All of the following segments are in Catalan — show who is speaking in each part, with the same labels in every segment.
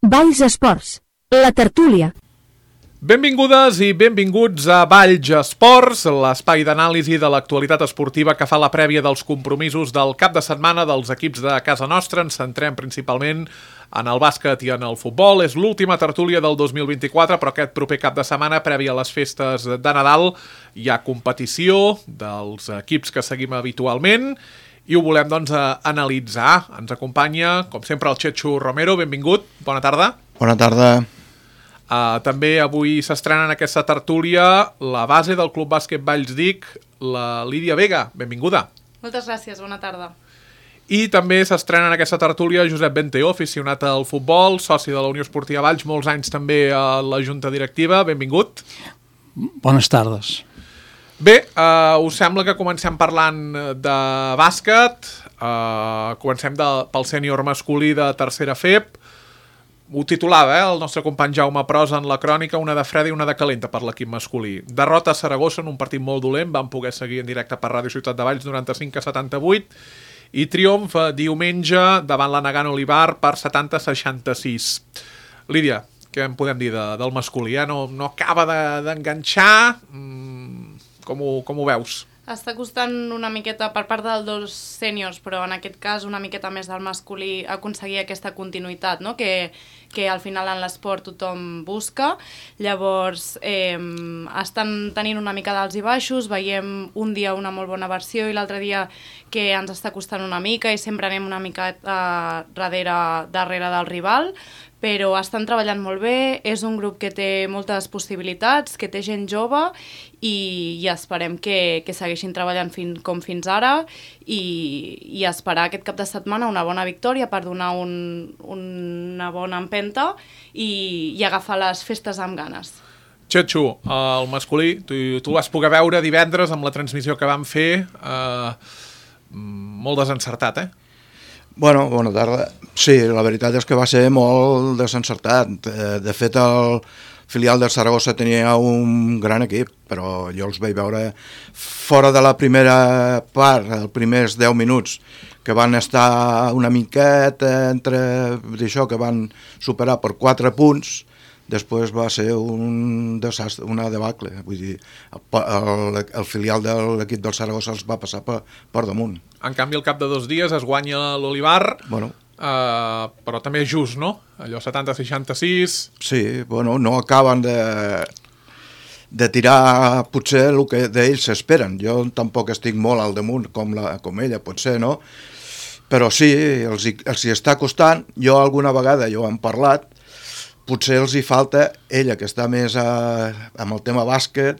Speaker 1: Valls Esports, la tertúlia.
Speaker 2: Benvingudes i benvinguts a Valls Esports, l'espai d'anàlisi de l'actualitat esportiva que fa la prèvia dels compromisos del cap de setmana dels equips de casa nostra. Ens centrem principalment en el bàsquet i en el futbol. És l'última tertúlia del 2024, però aquest proper cap de setmana, prèvia a les festes de Nadal, hi ha competició dels equips que seguim habitualment i ho volem, doncs, analitzar. Ens acompanya, com sempre, el Chechu Romero. Benvingut, bona tarda.
Speaker 3: Bona tarda.
Speaker 2: També avui s'estrena en aquesta tertúlia la base del Club Bàsquet Valls Dic, la Lídia Vega. Benvinguda.
Speaker 4: Moltes gràcies, bona tarda.
Speaker 2: I també s'estrena en aquesta tertúlia Josep Benteó, aficionat al futbol, soci de la Unió Esportiva Valls, molts anys també a la Junta Directiva. Benvingut.
Speaker 5: Bones tardes.
Speaker 2: Bé, us sembla que comencem parlant de bàsquet, comencem pel sènior masculí de tercera FEP. Ho titulava, el nostre company Jaume Pros en la crònica, una de freda i una de calenta per l'equip masculí. Derrota a Saragossa en un partit molt dolent, van poder seguir en directe per Ràdio Ciutat de Valls 95-78, i triomf diumenge davant la Nagano Olivar per 70-66. Lídia, què en podem dir del masculí? No acaba d'enganxar. Com ho veus?
Speaker 4: Està costant una miqueta per part dels dos sèniors, però en aquest cas una miqueta més del masculí, aconseguir aquesta continuïtat, no? que al final en l'esport tothom busca. Llavors estan tenint una mica d'alts i baixos, veiem un dia una molt bona versió i l'altre dia que ens està costant una mica i sempre anem una mica darrere del rival, però estan treballant molt bé, és un grup que té moltes possibilitats, que té gent jove i esperem que segueixin treballant com fins ara i esperar aquest cap de setmana una bona victòria per donar una bona empenta i agafar les festes amb ganes.
Speaker 2: Chechu, el masculí, tu vas poder veure divendres amb la transmissió que vam fer, molt desencertat,
Speaker 3: Bueno, bona tarda. Sí, la veritat és que va ser molt desencertat. De fet, el filial del Saragossa tenia un gran equip, però jo els vaig veure fora de la primera part, els primers 10 minuts, que van estar una miqueta entre això, que van superar per 4 punts. Després va ser un desastre, una debacle. Vull dir, el filial de l'equip del Saragossa els va passar per damunt.
Speaker 2: En canvi, al cap de 2 dies es guanya l'Olivar,
Speaker 3: bueno,
Speaker 2: però també és just, no? Allò 70-66...
Speaker 3: Sí, bueno, no acaben de tirar potser el que d'ells s'esperen. Jo tampoc estic molt al damunt com ella, potser, no? Però sí, els hi està costant. Jo alguna vegada, jo hem parlat, potser els hi falta ella, que està més amb el tema bàsquet.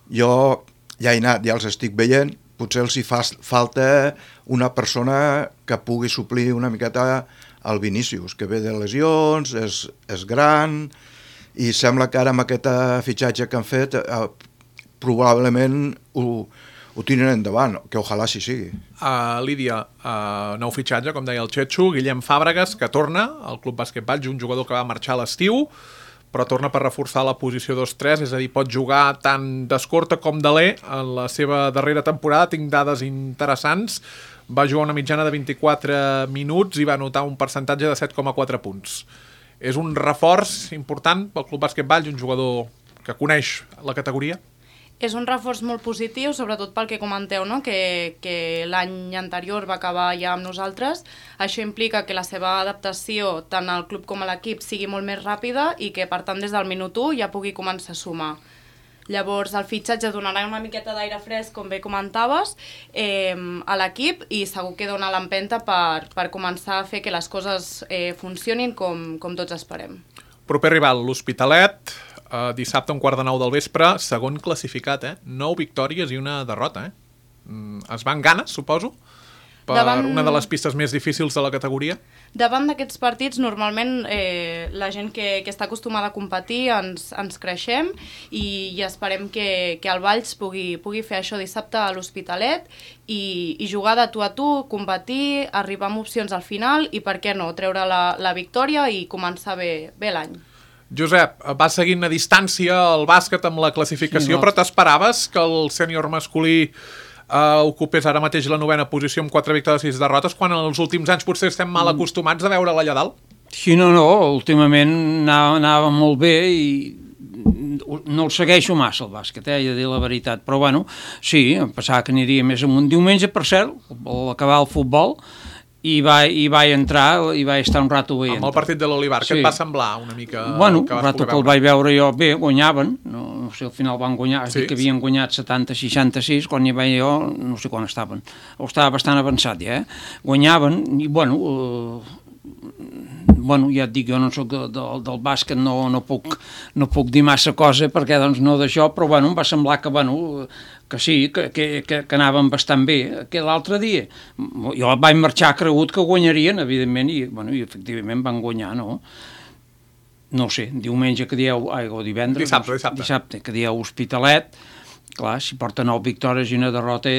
Speaker 3: Jo ja he anat, ja els estic veient, potser els hi falta una persona que pugui suplir una miqueta el Vinícius, que ve de lesions, és gran, i sembla que ara amb aquest fitxatge que han fet probablement ho tiren endavant, que ojalà sí sigui.
Speaker 2: Lídia, nou fitxatge, com deia el Chechu, Guillem Fàbregas, que torna al Club Bàsquet Valls, un jugador que va marxar a l'estiu, però torna per reforçar la posició 2-3, és a dir, pot jugar tant d'escorta com d'alè. En la seva darrera temporada tinc dades interessants, va jugar una mitjana de 24 minuts i va anotar un percentatge de 7,4 punts. És un reforç important pel Club Bàsquet Valls, un jugador que coneix la categoria?
Speaker 4: És un reforç molt positiu, sobretot pel que comenteu, no? que l'any anterior va acabar ja amb nosaltres. Això implica que la seva adaptació tant al club com a l'equip sigui molt més ràpida i que, per tant, des del minut 1 ja pugui començar a sumar. Llavors, el fitxatge donarà una miqueta d'aire fresc, com bé comentaves, a l'equip i segur que dona l'empenta per començar a fer que les coses funcionin com tots esperem.
Speaker 2: Proper rival, l'Hospitalet, dissabte a 8:45 del vespre, segon classificat, 9 victòries i una derrota. Es van ganes, suposo, per una de les pistes més difícils de la categoria?
Speaker 4: Davant d'aquests partits, normalment la gent que està acostumada a competir ens creixem i esperem que el Valls pugui fer això dissabte a l'Hospitalet i jugar de tu a tu, competir, arribar amb opcions al final i, per què no, treure la victòria i començar bé l'any.
Speaker 2: Josep, va seguint a distància el bàsquet amb la classificació, però t'esperaves que el sènior masculí ocupés ara mateix la 9ª posició amb 4 victòries i 6 derrotes, quan en els últims anys potser estem mal acostumats a veure-la allà dalt?
Speaker 5: Sí, no, últimament anava molt bé i no el segueixo massa, el bàsquet, he de dir la veritat, però bueno, sí, em pensava que aniria més amunt. Diumenge, per cert, al acabar el futbol, i vaig entrar i vaig estar un rato veient.
Speaker 2: Amb el partit de l'Olivar, què et va semblar una mica?
Speaker 5: Bueno, un rato que el vaig veure jo, bé, guanyaven, no sé, al final van guanyar, sí, que havien guanyat 70-66, quan hi vaig jo, no sé quan estaven, o estava bastant avançat ja, guanyaven, i bueno, ja et dic, jo no soc del bàsquet, no puc dir massa cosa perquè doncs no d'això, però bueno, em va semblar que sí, que anaven bastant bé. Que l'altre dia jo vaig marxar cregut que guanyarien, evidentment, i efectivament van guanyar, no? No sé, diumenge que dieu, o divendres, dissabte que dieu Hospitalet, clar, si porta 9 victòries i una derrota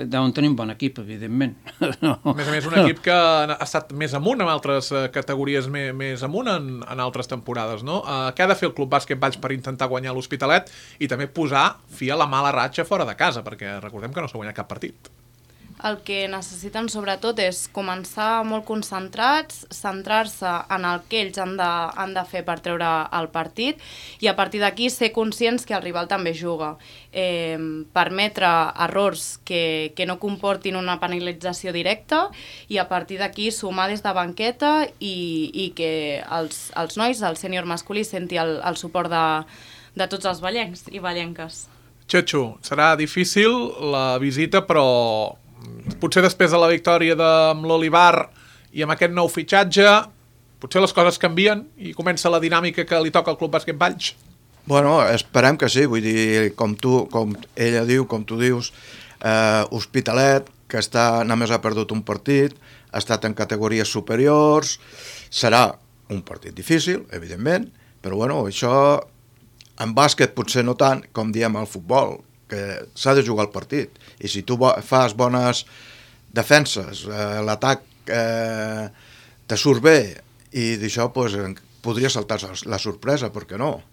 Speaker 5: deuen tenir un bon equip, evidentment.
Speaker 2: No. A més, un equip que ha estat més amunt en altres categories, més amunt en altres temporades, no? Què ha de fer el Club Bàsquet Valls per intentar guanyar l'Hospitalet i també posar fi a la mala ratxa fora de casa, perquè recordem que no s'ha guanyat cap partit.
Speaker 4: El que necessiten sobretot és començar molt concentrats, centrar-se en el que ells han de fer per treure el partit i a partir d'aquí ser conscients que el rival també juga. Permetre errors que no comportin una penalització directa i a partir d'aquí sumar des de banqueta i que els nois, el sènior masculí, senti el suport de tots els vallencs i vallenques.
Speaker 2: Txetxo, serà difícil la visita, però potser després de la victòria amb l'Olivar i amb aquest nou fitxatge, potser les coses canvien i comença la dinàmica que li toca al Club Bàsquet Valls?
Speaker 3: Bueno, esperem que sí, vull dir, com ella diu, com tu dius, Hospitalet, que només ha perdut un partit, ha estat en categories superiors, serà un partit difícil, evidentment, però bueno, això en bàsquet potser no tant com diem al futbol, que s'ha de jugar el partit, i si tu fas bones defenses, l'atac te surt bé, i d'això podria saltar la sorpresa, per què no?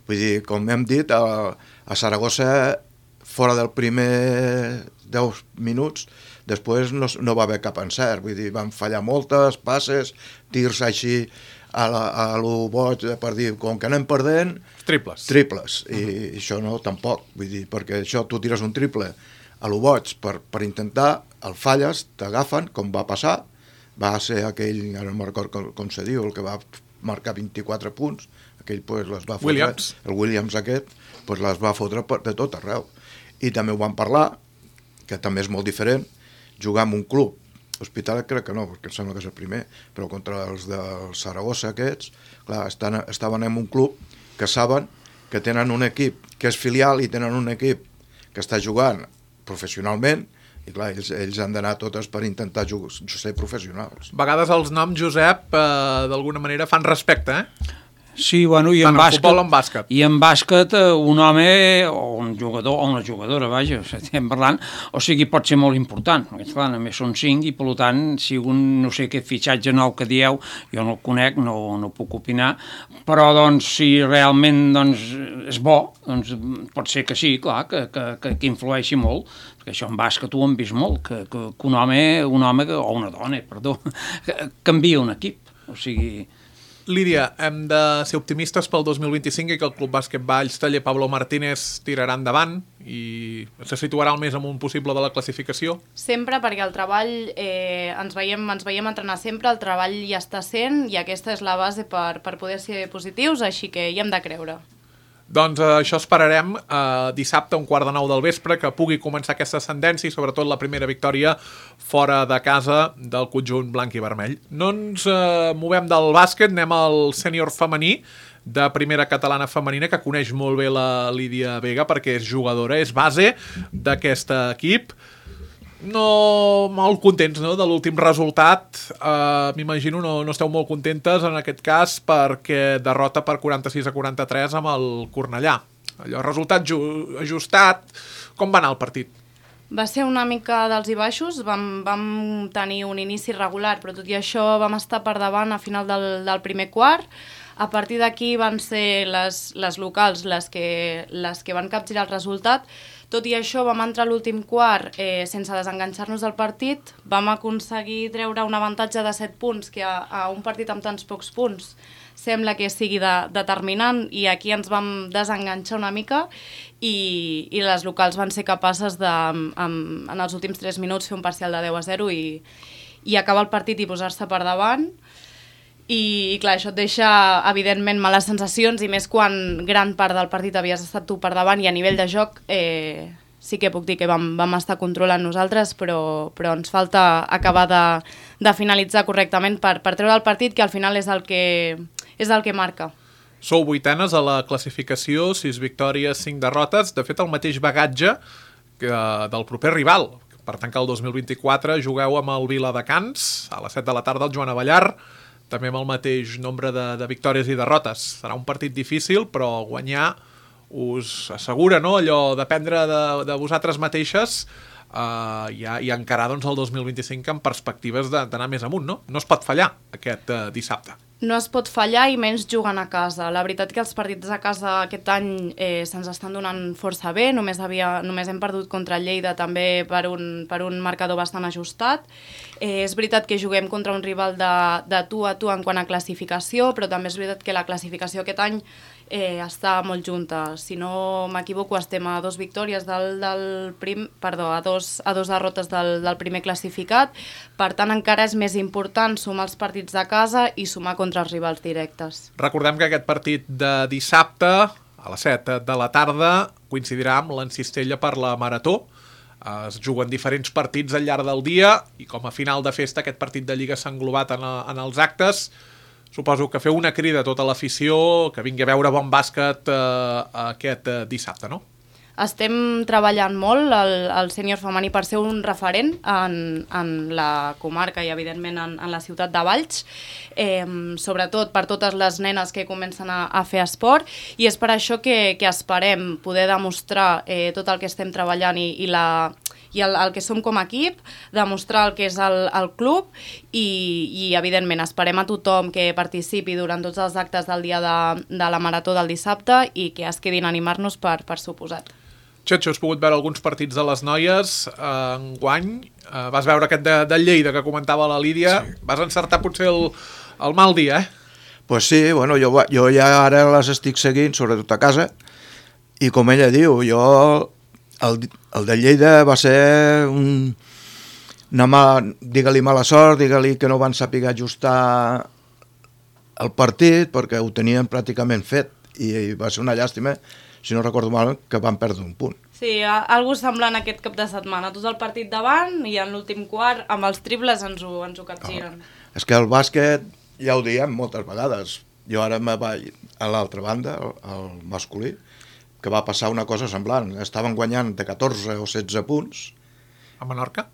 Speaker 3: Vull dir, com hem dit, a Saragossa, fora del primer 10 minuts, després no va haver cap encert, vull dir, van fallar moltes passes, tirs així a lo boig, per dir, com que anem perdent... Triples, i això no, tampoc, vull dir, perquè això tu tires un triple a lo boig per intentar, el falles, t'agafen, com va passar, va ser aquell, ara no me'n recordo com se diu, el que va marcar 24 punts, aquell les va fotre, el Williams aquest, les va fotre de tot arreu. I també ho vam parlar, que també és molt diferent, jugar en un club, Hospitalet crec que no, perquè em sembla que és el primer, però contra els del Saragossa aquests, clar, estaven en un club que saben que tenen un equip que és filial i tenen un equip que està jugant professionalment, i clar, ells han d'anar totes per intentar ser professionals.
Speaker 2: A vegades els noms, Josep, d'alguna manera fan respecte,
Speaker 5: Sí, bueno, i en bàsquet. I en bàsquet un home o un jugador o una jugadora, vaja, estem parlant, o sigui, pot ser molt important. Clar, només són 5 i, per tant, si un, no sé què fitxatge nou que dieu, jo no el conec, no puc opinar, però, doncs, si realment doncs, és bo, doncs pot ser que sí, clar, que influeixi molt, perquè això en bàsquet ho hem vist molt, que un home o una dona, perdó, canvia un equip, o sigui...
Speaker 2: Lídia, hem de ser optimistes pel 2025 i que el Club Bàsquet Valls Taller Pablo Martínez tirarà endavant i se situarà al més amunt possible de la classificació?
Speaker 4: Sempre, perquè el treball, ens veiem entrenar sempre, el treball ja està sent i aquesta és la base per poder ser positius, així que hi hem de creure.
Speaker 2: Doncs això esperarem dissabte a 8:45 del vespre, que pugui començar aquesta ascendència i sobretot la primera victòria fora de casa del conjunt blanc i vermell. No ens movem del bàsquet, anem al sènior femení de primera catalana femenina, que coneix molt bé la Lídia Vega perquè és jugadora, és base d'aquest equip. No molt contents, no?, de l'últim resultat. M'imagino no esteu molt contentes en aquest cas perquè derrota per 46-43 amb el Cornellà. Allò, resultat ajustat. Com va anar el partit?
Speaker 4: Va ser una mica d'alts i baixos, vam tenir un inici regular, però tot i això vam estar per davant a final del primer quart. A partir d'aquí van ser les locals les que van capgirar el resultat, Tot i això, vam entrar a l'últim quart sense desenganxar-nos del partit, vam aconseguir treure un avantatge de 7 punts, que a un partit amb tants pocs punts sembla que sigui determinant, i aquí ens vam desenganxar una mica i les locals van ser capaces de, en els últims 3 minuts, fer un parcial de 10-0 i acabar el partit i posar-se per davant. I clar, això et deixa evidentment males sensacions, i més quan gran part del partit havies estat tu per davant, i a nivell de joc sí que puc dir que vam estar controlant nosaltres, però ens falta acabar de finalitzar correctament per treure el partit, que al final és el que marca.
Speaker 2: Sou 8enes a la classificació, 6 victòries, 5 derrotes, de fet el mateix bagatge del proper rival. Per tant que el 2024 jugueu amb el Viladecans a les 7 de la tarda al Joan Abellar, també amb el mateix nombre de victòries i derrotes. Serà un partit difícil, però guanyar us assegura, no?, allò dependre de vosaltres mateixes i encarar doncs, el 2025 amb perspectives d'anar més amunt, no? No es pot fallar aquest dissabte.
Speaker 4: No es pot fallar, i menys jugant a casa. La veritat que els partits a casa aquest any se'ns estan donant força bé. Només hem perdut contra el Lleida també per un marcador bastant ajustat. És veritat que juguem contra un rival de tu a tu en quant a classificació, però també és veritat que la classificació aquest any està molt junta. Si no m'equivoco, estem a 2 victòries a 2 derrotes del primer classificat. Per tant, encara és més important sumar els partits de casa i sumar contra els rivals directes.
Speaker 2: Recordem que aquest partit de dissabte a les 7 de la tarda coincidirà amb l'Encistella per la Marató. Es juguen diferents partits al llarg del dia i com a final de festa aquest partit de Lliga s'ha englobat en els actes. Suposo que feu una crida a tota l'afició que vingui a veure bon bàsquet aquest dissabte, no?
Speaker 4: Estem treballant molt el sènior femení per ser un referent en la comarca i evidentment en la ciutat de Valls, sobretot per totes les nenes que comencen a fer esport, i és per això que esperem poder demostrar tot el que estem treballant i el que som com a equip, demostrar el que és el club i evidentment esperem a tothom que participi durant tots els actes del dia de la Marató del dissabte i que es quedin a animar-nos per suposat.
Speaker 2: Xetxo, has pogut veure alguns partits de les noies enguany. Vas veure aquest de Lleida que comentava la Lídia. Sí. Vas encertar potser el mal dia, eh?
Speaker 3: Pues sí, bueno, jo ja ara les estic seguint, sobretot a casa, i com ella diu, el de Lleida va ser digue-li mala sort, digue-li que no van saber ajustar el partit perquè ho tenien pràcticament fet i va ser una llàstima, si no recordo mal, que van perdre un punt.
Speaker 4: Sí, algo semblant aquest cap de setmana. Tot el partit davant i en l'últim quart, amb els triples, ens ho capgiren.
Speaker 3: És que el bàsquet, ja ho diem moltes vegades, jo ara me vaig a l'altra banda, al masculí, que va passar una cosa semblant. Estaven guanyant de 14 o 16 punts.
Speaker 2: A Menorca?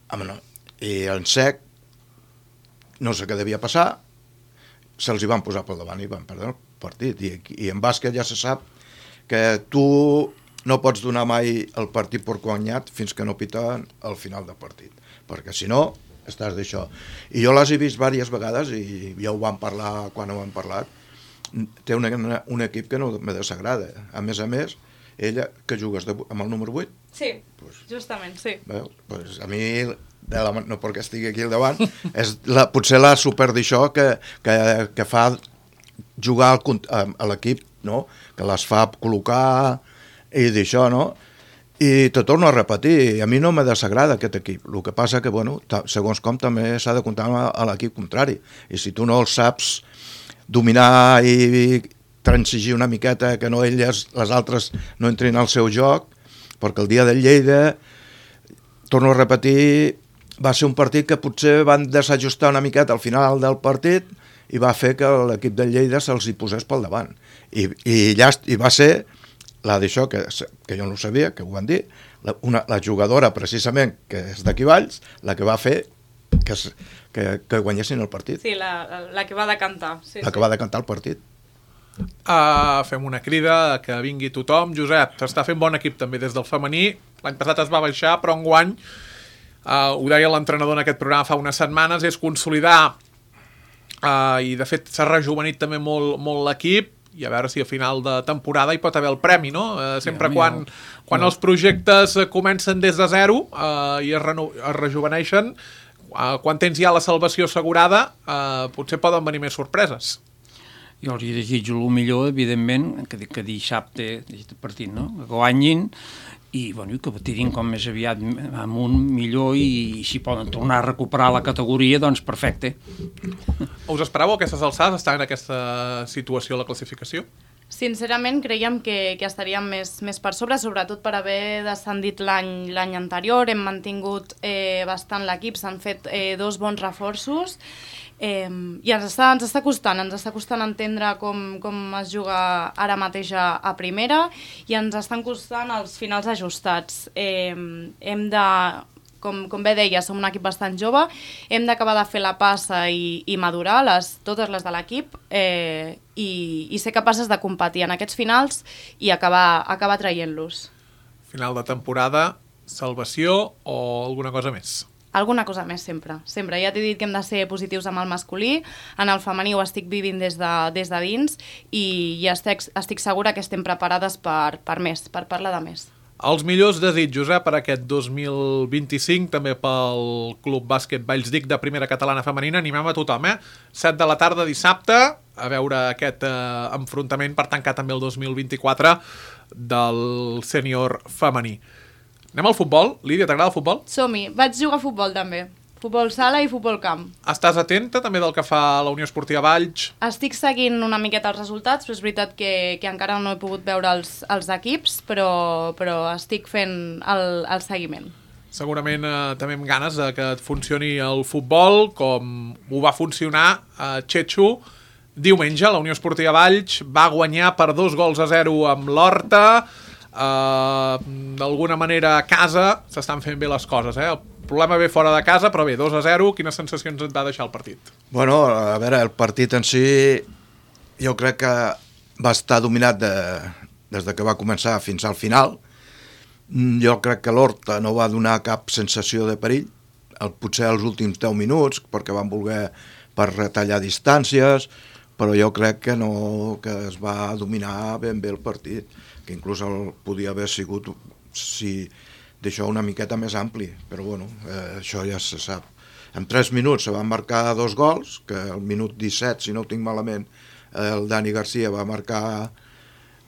Speaker 3: I en sec, no sé què devia passar, se'ls hi van posar pel davant i van perdre el partit. I en bàsquet ja se sap que tu no pots donar mai el partit per guanyat fins que no piten al final del partit, perquè si no estàs d'això. I jo les he vist diverses vegades i ja ho vam parlar quan ho hem parlat. Té un equip que no me desagrada. A més, ella, que jugues amb el número 8?
Speaker 4: Sí, justament, sí.
Speaker 3: Pues a mi, no perquè estigui aquí al davant, és potser la super d'això que fa jugar a l'equip, no? Que les fa col·locar i d'això, no? I te torno a repetir, a mi no me desagrada aquest equip. El que passa que, bueno, segons com també s'ha de comptar a l'equip contrari. I si tu no el saps dominar i transigir una miqueta, que no elles, les altres, no entrin al seu joc, perquè el dia del Lleida, torno a repetir, va ser un partit que potser van desajustar una miqueta al final del partit i va fer que l'equip del Lleida se'ls hi posés pel davant. I va ser la d'això, que jo no ho sabia, que ho van dir, la jugadora precisament, que és d'aquí Valls, la que va fer que guanyessin el partit.
Speaker 4: Sí, la que va decantar. Sí,
Speaker 3: la que va decantar el partit.
Speaker 2: Fem una crida que vingui tothom. Josep, s'està fent bon equip també des del femení. L'any passat es va baixar, però enguany, ho deia l'entrenador en aquest programa fa unes setmanes, és consolidar i de fet s'ha rejuvenit també molt l'equip i a veure si a final de temporada hi pot haver el premi, no? Sempre quan els projectes comencen des de zero i es rejuveneixen, quan tens ja la salvació assegurada, potser poden venir més sorpreses.
Speaker 5: Jo els desitjo el millor, evidentment, que dissabte, aquest partit, no? Que guanyin i que tirin com més aviat amunt millor i si poden tornar a recuperar la categoria, doncs perfecte.
Speaker 2: Us esperàveu aquestes alçades estar en aquesta situació a la classificació?
Speaker 4: Sincerament creiem que estaríem més per sobre, sobretot per haver descendit l'any anterior. Hem mantingut bastant l'equip, s'han fet 2 bons reforços i ens està costant entendre com es juga ara mateix a primera i ens estan costant els finals ajustats. Hem de, com bé deia, som un equip bastant jove, hem d'acabar de fer la passa i madurar totes les de l'equip i ser capaces de competir en aquests finals i acabar traient-los.
Speaker 2: Final de temporada, salvació o alguna cosa més?
Speaker 4: Alguna cosa més, sempre. Ja t'he dit que hem de ser positius amb el masculí, en el femení ho estic vivint des de dins i estic segura que estem preparades per parlar de més.
Speaker 2: Els millors desitjos per aquest 2025, també pel Club Bàsquet Vallsdic de Primera Catalana Femenina. Animem a tothom, 7 de la tarda dissabte, a veure aquest enfrontament per tancar també el 2024 del sènior femení. Anem al futbol. Lídia, t'agrada el futbol?
Speaker 4: Som-hi. Vaig jugar a futbol també. Futbol sala i futbol camp.
Speaker 2: Estàs atenta també del que fa la Unió Esportiva Valls?
Speaker 4: Estic seguint una miqueta els resultats, però és veritat que encara no he pogut veure els equips, però estic fent el seguiment.
Speaker 2: Segurament també amb ganes que et funcioni el futbol, com ho va funcionar a Txetxo. Diumenge la Unió Esportiva Valls va guanyar per 2-0 amb l'Horta. D'alguna manera a casa s'estan fent bé les coses, El problema ve fora de casa, però bé, 2-0, quines sensacions et va deixar el partit?
Speaker 3: Bueno, a veure, el partit en si jo crec que va estar dominat des que va començar fins al final. Jo crec que l'Horta no va donar cap sensació de perill, potser els últims 10 minuts, perquè van voler per retallar distàncies, però jo crec que es va dominar ben bé el partit, que inclús podia haver sigut d'això una miqueta més ampli, però bueno, això ja se sap. En 3 minuts se van marcar 2 gols, que al minut 17, si no ho tinc malament, el Dani Garcia va marcar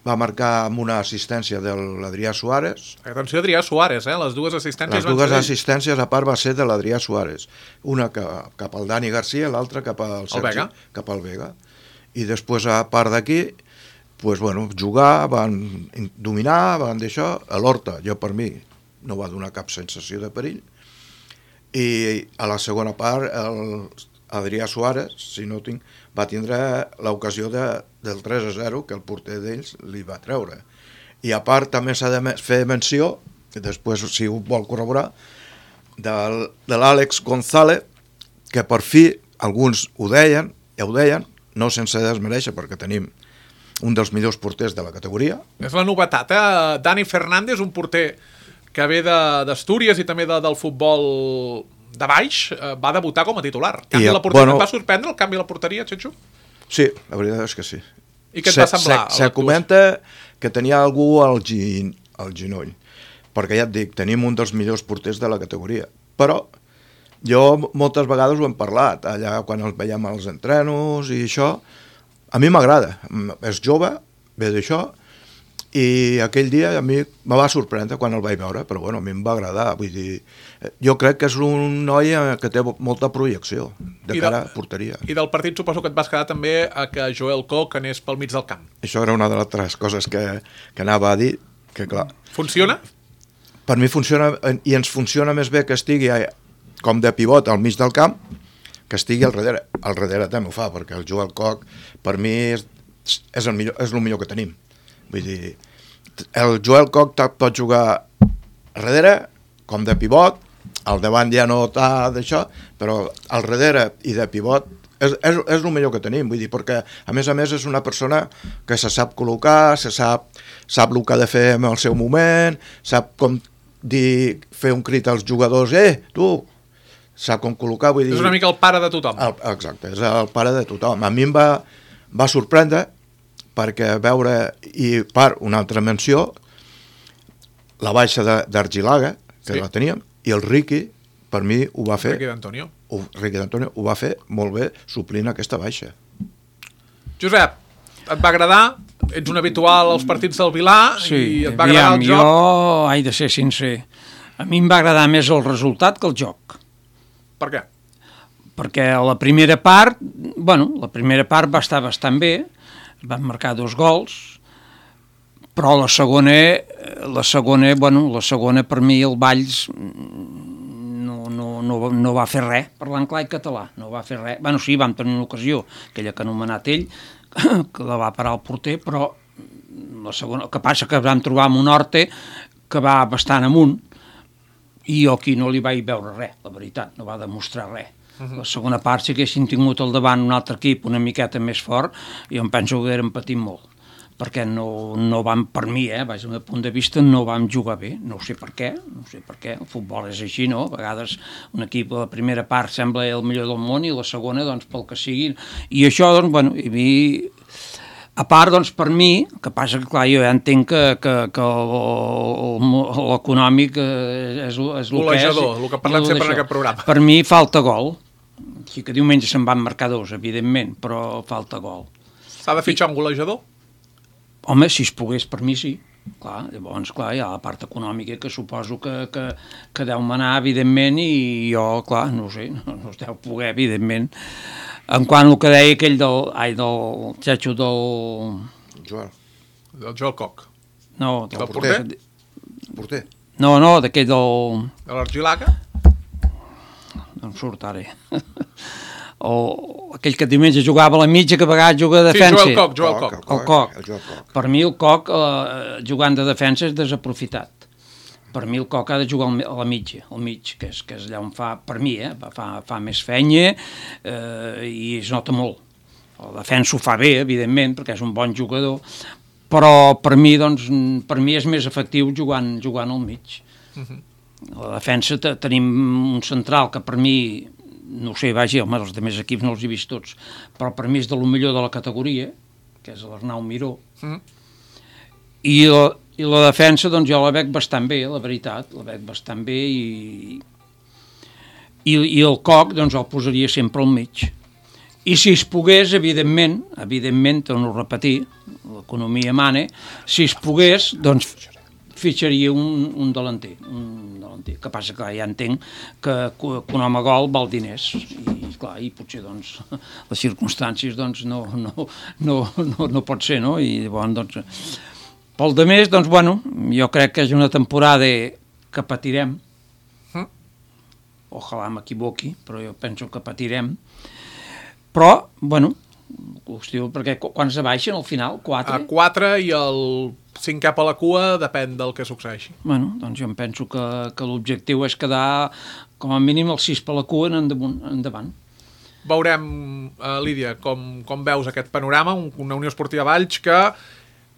Speaker 3: amb una assistència de l'Adrià Suárez.
Speaker 2: Atenció, Adrià Suárez, les dues assistències
Speaker 3: Les dues assistències a part va ser de l'Adrià Suárez. Una cap al Dani Garcia i l'altra cap al Sergi, cap al Vega. I després, a part d'aquí, jugar, van dominar, van d'això. A l'Horta, per mi, no va donar cap sensació de perill. I a la segona part, Adrià Suárez, si no tinc, va tindre l'ocasió del 3-0 que el porter d'ells li va treure. I a part també s'ha de fer menció, després si ho vol corroborar, de l'Àlex González, que per fi alguns ho deien, no sense desmereixer, perquè tenim un dels millors porters de la categoria.
Speaker 2: És la novetat, Dani Fernández, un porter que ve d'Astúries i també del futbol de baix, va debutar com a titular. Et va sorprendre el canvi a la porteria, Txetxo?
Speaker 3: Sí, la veritat és que sí.
Speaker 2: I què et va semblar?
Speaker 3: Se comenta que tenia algú al ginoll, perquè ja et dic, tenim un dels millors porters de la categoria, però jo moltes vegades ho hem parlat, allà quan els veiem als entrenos i això, a mi m'agrada, és jove, ve d'això, i aquell dia a mi me va sorprendre quan el vaig veure, però bueno, a mi em va agradar, vull dir, jo crec que és un noi que té molta projecció de cara a porteria.
Speaker 2: I del partit suposo que et vas quedar també a que Joel Koch anés pel mig del camp.
Speaker 3: Això era una de les altres coses que anava a dir, que clar...
Speaker 2: Funciona?
Speaker 3: Per mi funciona, i ens funciona més bé que estigui com de pivot al mig del camp, que estigui al darrere. Al darrere també ho fa, perquè el Joel Koch per mi és el millor que tenim. Vull dir, el Joel Koch pot jugar al darrere, com de pivot, al davant ja no està d'això, però al darrere i de pivot és el millor que tenim, vull dir, perquè a més és una persona que se sap col·locar, sap el que ha de fer en el seu moment, sap com fer un crit als jugadors, tu, sap com col·locar, vull dir...
Speaker 2: És una mica el pare de tothom.
Speaker 3: Exacte, és el pare de tothom. A mi em va sorprendre perquè veure, i una altra menció, la baixa d'Argilaga, que la teníem, i el Riqui, per mi, ho va fer... Riqui d'Antonio ho va fer molt bé, suplint aquesta baixa.
Speaker 2: Josep, et va agradar? Ets un habitual als partits del Vilà i et va agradar el joc?
Speaker 5: Jo he de ser sincer. A mi em va agradar més el resultat que el joc.
Speaker 2: Per què?
Speaker 5: Perquè la primera part va estar bastant bé, van marcar 2 gols, però la segona per mi el Valls no va fer res, parlant clar i català, no va fer res. Bueno, sí, vam tenir una ocasió, aquella que ha anomenat ell, que la va parar el porter, però la segona, el que passa que vam trobar amb un Horte que va bastant amunt, i jo aquí no li vaig veure res, la veritat, no va demostrar res. La segona part, si haguessin tingut al davant un altre equip una miqueta més fort, jo em penso que hagueren patit molt, perquè no vam, per mi, des del meu punt de vista, no vam jugar bé, no sé per què, el futbol és així, no? A vegades un equip a la primera part sembla el millor del món i la segona, doncs, pel que sigui, i això, doncs, bueno, i a mi, a part, doncs, per mi, que passa que, clar, jo ja entenc que l'econòmic és el que és.
Speaker 2: Golejador, el que parlem sempre en aquest programa.
Speaker 5: Per mi falta gol, així que diumenge se'n van marcar 2, evidentment, però falta gol.
Speaker 2: S'ha de fitxar un golejador?
Speaker 5: Home, si es pogués, per mi sí. Clar, llavors, clar, hi ha la part econòmica que suposo que deu manar, evidentment, i jo, clar, no sé, no es deu poder, evidentment. En quant al que deia aquell del xatxo del...
Speaker 3: Joel.
Speaker 2: Del Joel Coc.
Speaker 5: No,
Speaker 2: del porter?
Speaker 3: Porter.
Speaker 5: No, d'aquell del...
Speaker 2: De l'Argilaga?
Speaker 5: No em surt ara. O aquell que diumenge jugava a la mitja, que a vegades juga de defensa.
Speaker 2: Sí, Joel Coc.
Speaker 5: El Coc. Per mi el Coc, jugant de defensa, és desaprofitat. Per mi el Coc ha de jugar a la mitja, al mig, que és allà on fa, per mi, fa més fenya i es nota molt. La defensa ho fa bé, evidentment, perquè és un bon jugador, però per mi és més efectiu jugant al mig. A la defensa tenim un central que per mi, no sé, vaja, home, els altres equips no els he vist tots, però per mi és de lo millor de la categoria, que és l'Arnau Miró, i la defensa, doncs jo la veig bastant bé, la veritat, la veig bastant bé, i el Coc, doncs el posaria sempre al mig. I si es pogués, evidentment, torno a repetir, l'economia mana, si es pogués, doncs fitxaria un delanter, que passa que ja entenc que un home gol val diners, i clar, i potser doncs les circumstàncies doncs no pot ser, no? I llavors doncs pel de més, doncs bueno, jo crec que és una temporada que patirem, ojalà m'equivoqui, però jo penso que patirem, però bueno, qüestió, perquè quan se baixen al final? 4?
Speaker 2: 4 i el 5 cap a la cua depèn del que succeeixi.
Speaker 5: Bueno, doncs jo em penso que l'objectiu és quedar com a mínim el 6 per la cua endavant.
Speaker 2: Veurem, Lídia, com veus aquest panorama, una Unió Esportiva Valls que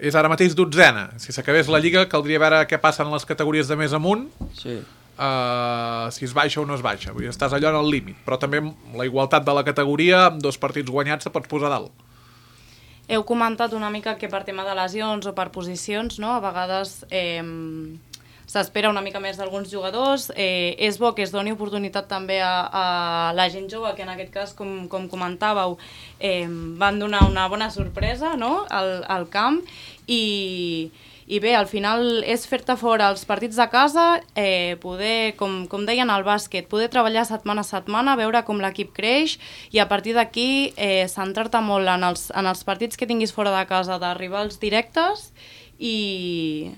Speaker 2: és ara mateix 12a. Si s'acabés la Lliga caldria veure què passa en les categories de més amunt.
Speaker 5: Sí.
Speaker 2: Si es baixa o no es baixa, vull dir, estàs allò en el límit, però també la igualtat de la categoria, amb 2 partits guanyats se pots posar dalt.
Speaker 4: Heu comentat una mica que per tema de lesions o per posicions, no? A vegades s'espera una mica més d'alguns jugadors, és bo que es doni oportunitat també a la gent jove, que en aquest cas, com comentàveu, van donar una bona sorpresa, no? al camp, i bé, al final és fer-te fora els partits de casa, poder, com deien al bàsquet, poder treballar setmana a setmana, veure com l'equip creix, i a partir d'aquí centrar-te molt en els partits que tinguis fora de casa, d'arribar als directes i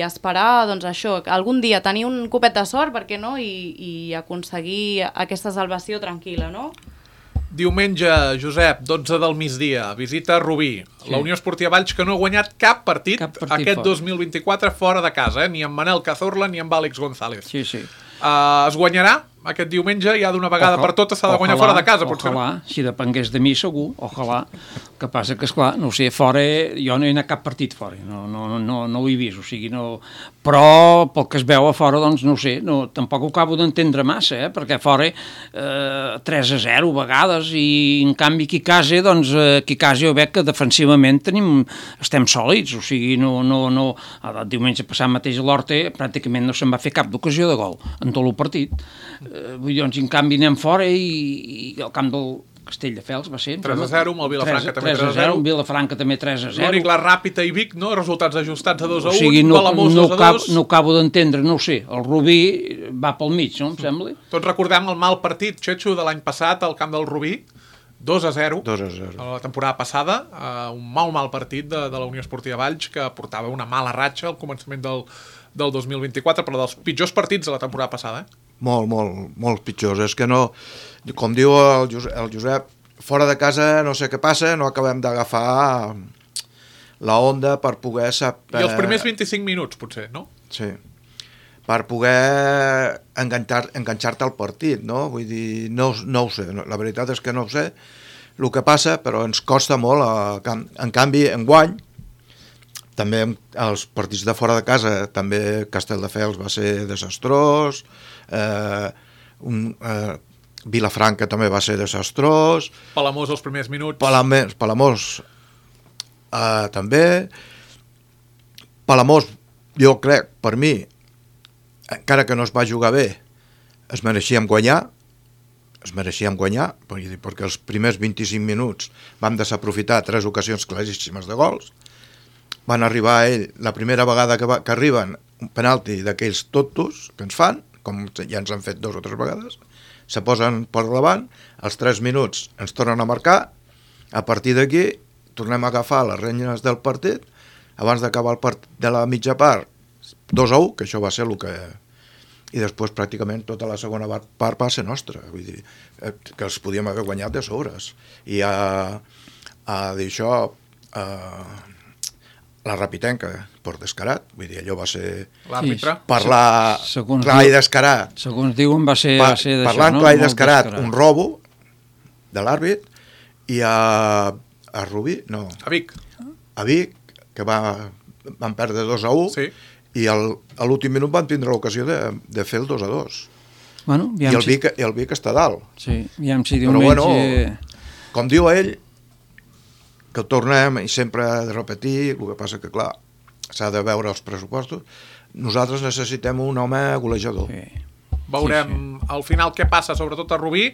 Speaker 4: esperar, doncs això, algun dia tenir un copet de sort, per què no, i aconseguir aquesta salvació tranquil·la, no?
Speaker 2: Diumenge, Josep, 12 del migdia, visita Rubí. Sí. La Unió Esportiva Valls, que no ha guanyat cap partit aquest 2024 fora de casa, ni amb Manel Cazorla ni amb Àlex González.
Speaker 5: Sí.
Speaker 2: Es guanyarà? aquest diumenge ja d'una vegada per totes s'ha de guanyar fora de casa, potser.
Speaker 5: Ojalà, si depengués de mi segur, ojalà. Que passa que, esclar, no sé, fora, jo no he anat cap partit fora, no ho he vist, o sigui, no... Però pel que es veu a fora, doncs no ho sé, tampoc ho acabo d'entendre massa, perquè fora 3-0 a vegades, i en canvi aquí a casa jo veig que defensivament estem sòlids, o sigui, el diumenge passat mateix a l'Horta pràcticament no se'n va fer cap d'ocasió de gol en tot el partit. Vull dir, doncs, en canvi anem fora i al camp del Castelldefels va ser...
Speaker 2: 3-0, amb el Vilafranca també 3-0.
Speaker 5: Vilafranca també 3-0.
Speaker 2: L'únic, la Ràpita i Vic, no? Resultats ajustats a 2-1,
Speaker 5: o sigui,
Speaker 2: Palamós 2-2.
Speaker 5: No acabo d'entendre, no ho sé, el Rubí va pel mig, no, em sembla?
Speaker 2: Tots recordem el mal partit, Xetxo, de l'any passat al camp del Rubí, 2-0.
Speaker 3: 2-0.
Speaker 2: A la temporada passada, un mal partit de la Unió Esportiva Valls, que portava una mala ratxa al començament del 2024, però dels pitjors partits de la temporada passada,
Speaker 3: Molt pitjors. És que no, com diu el Josep, fora de casa no sé què passa, no acabem d'agafar la onda per poder saber...
Speaker 2: I els primers 25 minuts, potser, no?
Speaker 3: Sí. Per poder enganxar-te al partit, no? Vull dir, no ho sé. La veritat és que no ho sé el que passa, però ens costa molt. En canvi, enguany, també els partits de fora de casa, també Castelldefels va ser desastrós, Vilafranca també va ser desastrós,
Speaker 2: Palamós els primers minuts,
Speaker 3: Palamós també. Palamós, jo crec, per mi, encara que no es va jugar bé, es mereixíem guanyar, perquè els primers 25 minuts vam desaprofitar 3 ocasions claríssimes de gols. Van arribar a ell, la primera vegada que arriben, un penalti d'aquells tontos que ens fan, com ja ens han fet 2 o 3 vegades, se posen per davant, als 3 minuts ens tornen a marcar, a partir d'aquí tornem a agafar les renyes del partit, abans d'acabar el partit de la mitja part, 2-1, que això va ser el que... I després pràcticament tota la segona part va ser nostra, vull dir, que els podíem haver guanyat de sobres. I a dir això... la Rapitenca, per descarat, vull dir, allò va ser...
Speaker 2: L'àrbitre.
Speaker 3: Parlar clar i descarat.
Speaker 5: Segons diuen va ser d'això, no?
Speaker 3: Parlant clar i descarat, un robo de l'àrbit, i a Rubí, no.
Speaker 2: A Vic.
Speaker 3: A Vic, que van perdre 2-1,
Speaker 2: sí.
Speaker 3: I a l'últim minut van tindre l'ocasió de fer el 2-2.
Speaker 5: Bueno,
Speaker 3: I el Vic està dalt.
Speaker 5: Sí, aviam si diumenge...
Speaker 3: Però bueno, com diu ell, que ho tornem i sempre de repetir, el que passa que, clar, s'ha de veure els pressupostos, nosaltres necessitem un home golejador.
Speaker 2: Sí. Veurem al final què passa, sobretot a Rubí,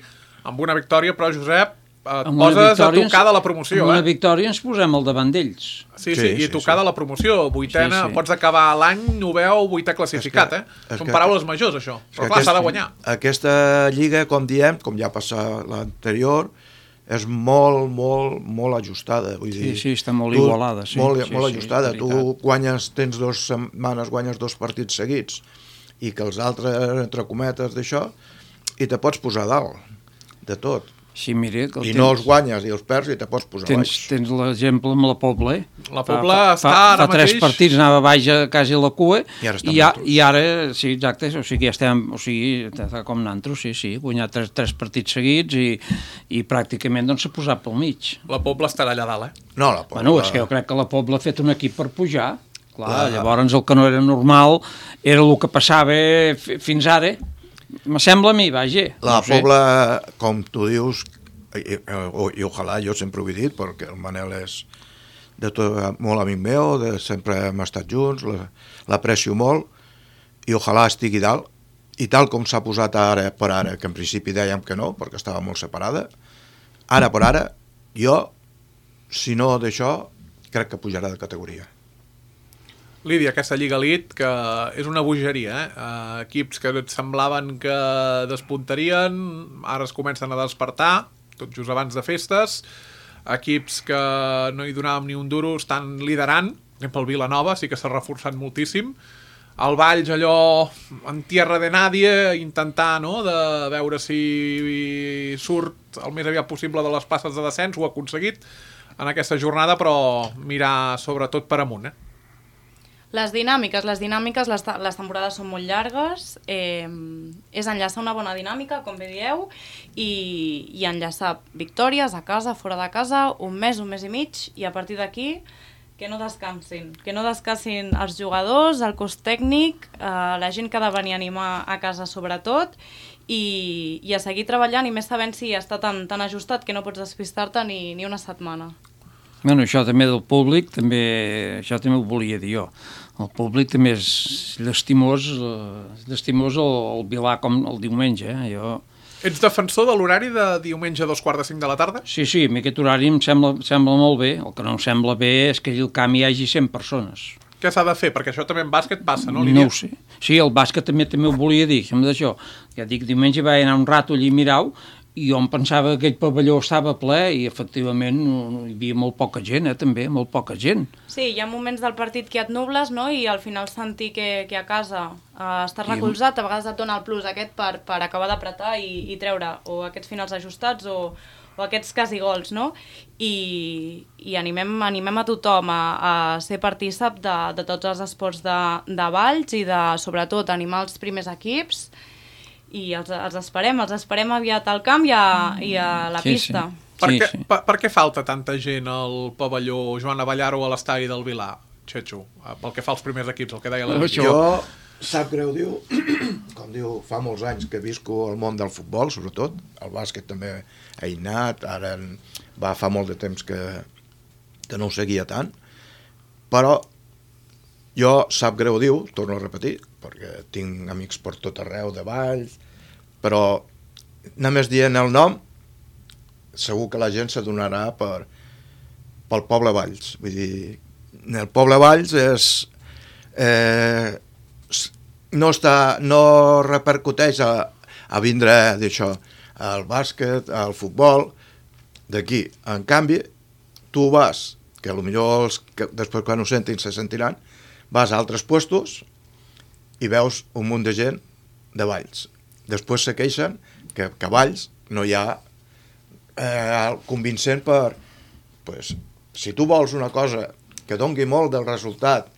Speaker 2: amb una victòria, però, Josep, et poses a tocar de la promoció.
Speaker 5: Amb una victòria ens posem al davant d'ells.
Speaker 2: Sí, i tocar de la promoció, vuitena, pots acabar l'any, noveu, vuitè classificat, Són paraules majors, això. Però clar, s'ha de guanyar.
Speaker 3: Aquesta lliga, com diem, com ja passa l'anterior, és molt ajustada, vull dir...
Speaker 5: Sí, està molt igualada.
Speaker 3: Molt ajustada. Tu guanyes, tens 2 setmanes, guanyes 2 partits seguits, i que els altres, entre cometes, d'això, i te pots posar dalt, de tot.
Speaker 5: Sí, mira,
Speaker 3: I no els guanyes i els perds i te pots posar baix.
Speaker 5: Tens l'exemple amb la Pobla,
Speaker 2: La Pobla està ara mateix...
Speaker 5: Fa 3 partits anava baix quasi a la cua
Speaker 3: i
Speaker 5: ara, sí, exacte, o sigui, ja estem, o sigui, està com nantros, sí, guanyat 3 partits seguits i pràcticament doncs s'ha posat pel mig.
Speaker 2: La Pobla estarà allà dalt,
Speaker 3: No, la Pobla...
Speaker 5: Bueno, és que jo crec que la Pobla ha fet un equip per pujar, clar, llavors el que no era normal era el que passava fins ara. Me sembla a mi, vaja.
Speaker 3: La Pobla, com tu dius, i ojalà, jo sempre ho he dit, perquè el Manel és molt amic meu, sempre hem estat junts, l'aprecio molt, i ojalà estigui dalt, i tal com s'ha posat ara per ara, que en principi dèiem que no, perquè estava molt separada, ara per ara, jo, si no d'això, crec que pujarà de categoria.
Speaker 2: Lídia, aquesta Lliga Elite, que és una bogeria, equips que et semblaven que despuntarien, ara es comencen a despertar, tot just abans de festes, equips que no hi donàvem ni un duro, estan liderant, pel Vilanova, sí que s'ha reforçat moltíssim, el Valls allò en tierra de nadie, intentar, no?, de veure si surt el més aviat possible de les passes de descens, ho ha aconseguit en aquesta jornada, però mirar sobretot per amunt,
Speaker 4: Les dinàmiques, les temporades són molt llargues, és enllaçar una bona dinàmica, com bé dieu, i enllaçar victòries a casa, fora de casa, un mes i mig, i a partir d'aquí que no descansin els jugadors, el cos tècnic, la gent que ha de venir a animar a casa sobretot, i a seguir treballant, i més sabent si està tan ajustat que no pots despistar-te ni una setmana.
Speaker 5: Bueno, això també del públic, això també ho volia dir jo. El públic també és llastimós el Vilà com el diumenge.
Speaker 2: Ets defensor de l'horari de diumenge a 2:45 de la tarda?
Speaker 5: Sí, a mi aquest horari em sembla molt bé. El que no em sembla bé és que al camp hi hagi 100 persones.
Speaker 2: Què s'ha de fer? Perquè això també en bàsquet passa, no,
Speaker 5: No
Speaker 2: Lídia?
Speaker 5: ho sé. Sí, el bàsquet també ho volia dir, sembla d'això. Ja dic, diumenge vaig anar un rato allí a mirar-ho, i jo em pensava que aquell pavelló estava ple i efectivament hi havia molt poca gent, també, molt poca gent.
Speaker 4: Sí, hi ha moments del partit que et nubles, no?, i al final sentir que a casa estàs recolzat, a vegades et dona el plus aquest per acabar d'apretar i treure o aquests finals ajustats o aquests quasi gols, no? I animem a tothom a ser partícip de tots els esports de Valls i de, sobretot, animar els primers equips, i els esperem aviat al camp i a la pista.
Speaker 2: Per què falta tanta gent al pavelló Joan Abellaro a l'estadi del Vilà, Txetxo? Pel que fa als primers equips, el que deia la Lídia.
Speaker 3: Jo, sap greu, com diu, fa molts anys que visco al món del futbol, sobretot, el bàsquet també he anat, ara fa molt de temps que no ho seguia tant, però jo, sap greu, torno a repetir, perquè tinc amics per tot arreu de Valls, però només dient el nom segur que la gent s'adonarà pel poble Valls. Vull dir, el poble Valls no repercuteix a vindre d'això, al bàsquet, al futbol, d'aquí. En canvi, tu vas, que potser després quan ho sentin se sentiran, vas a altres puestos i veus un munt de gent de Valls. Després se queixen que a Valls no hi ha convincent si tu vols una cosa que dongui molt del resultat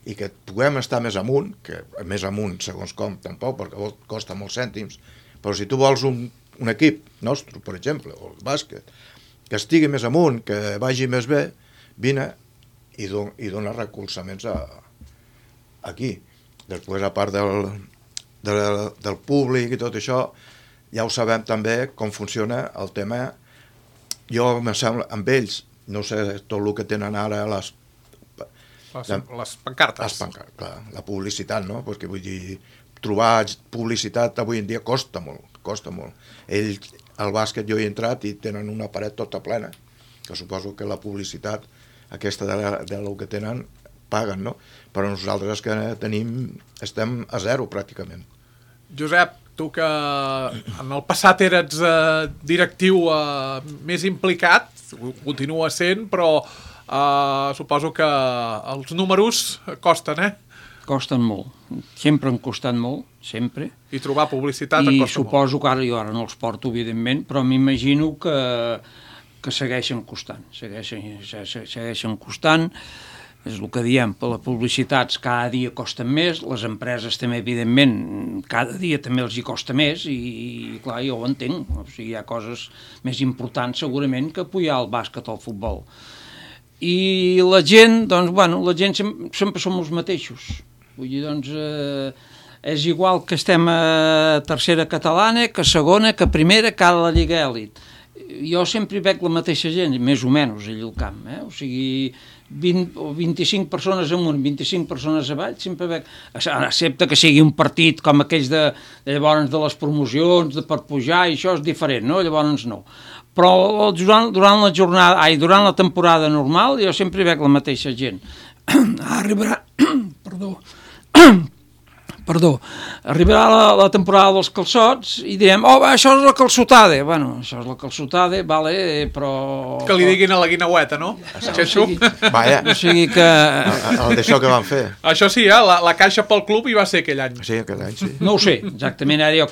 Speaker 3: i que puguem estar més amunt, que més amunt segons com tampoc, perquè costa molts cèntims, però si tu vols un equip nostre, per exemple, o el bàsquet, que estigui més amunt, que vagi més bé, vine i dona recolzaments aquí. Després, a part del públic i tot això, ja ho sabem també com funciona el tema. Jo, em sembla, amb ells, no sé tot el que tenen ara les
Speaker 2: pancartes.
Speaker 3: Clar, la publicitat, no? Perquè vull dir, trobar publicitat avui en dia costa molt. Ells, al bàsquet, jo he entrat i tenen una paret tota plena, que suposo que la publicitat aquesta del que tenen paguen, no? Però nosaltres que estem a zero pràcticament.
Speaker 2: Josep, tu que en el passat eres directiu més implicat, ho continua sent, però suposo que els números costen,
Speaker 5: Costen molt, sempre han costat molt, sempre.
Speaker 2: I trobar publicitat en costa molt.
Speaker 5: I suposo que jo ara no els porto, evidentment, però m'imagino que segueixen costant, segueixen costant. És el que diem, per les publicitats cada dia costen més, les empreses també, evidentment, cada dia també els hi costa més i clar, jo ho entenc. O sigui, hi ha coses més importants segurament que apoyar el bàsquet o el futbol. I la gent, doncs, la gent sempre som els mateixos. Vull dir, doncs, és igual que estem a tercera catalana, que segona, que primera, que a la Lliga Èlit. Jo sempre hi veig la mateixa gent, més o menys, allà al camp, O sigui, 20 o 25 persones amunt, 25 persones avall, sempre veig, excepte que sigui un partit com aquells de llavors de les promocions, per pujar, i això és diferent, no? Llavors no. Però durant la temporada normal jo sempre veig la mateixa gent. Arribarà la temporada dels calçots i direm, això és la calçotada. Bueno, això és la calçotada, vale, però...
Speaker 2: Que li diguin a la guineueta, no?
Speaker 3: Vaja,
Speaker 5: o sigui que...
Speaker 3: El d'això que van fer.
Speaker 2: Això sí, la caixa pel club hi va ser aquell any.
Speaker 3: Sí, aquell any, sí.
Speaker 5: No ho sé, exactament, ara jo